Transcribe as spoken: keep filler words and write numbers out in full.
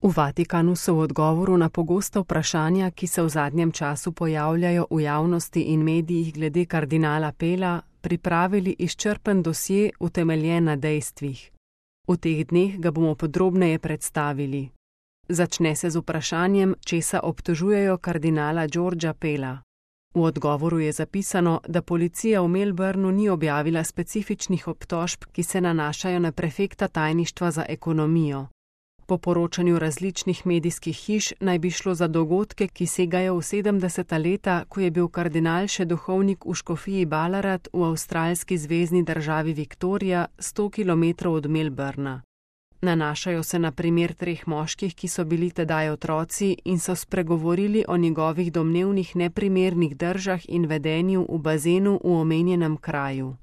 V Vatikanu so v odgovoru na pogosta vprašanja, ki se v zadnjem času pojavljajo v javnosti in medijih glede kardinala Pela, pripravili izčrpen dosje utemeljen na dejstvih. V teh dneh ga bomo podrobneje predstavili. Začne se z vprašanjem, česa obtožujejo kardinala Georgea Pela. V odgovoru je zapisano, da policija v Melbournu ni objavila specifičnih obtožb, ki se nanašajo na prefekta tajništva za ekonomijo. Po poročanju različnih medijskih hiš naj bi šlo za dogodke, ki segajo v sedemdeseta leta, ko je bil kardinal še duhovnik v škofiji Ballarat v avstralski zvezni državi Viktorija, sto kilometrov od Melbourna. Nanašajo se na primer treh moških, ki so bili tedaj otroci in so spregovorili o njegovih domnevnih neprimernih držah in vedenju v bazenu v omenjenem kraju.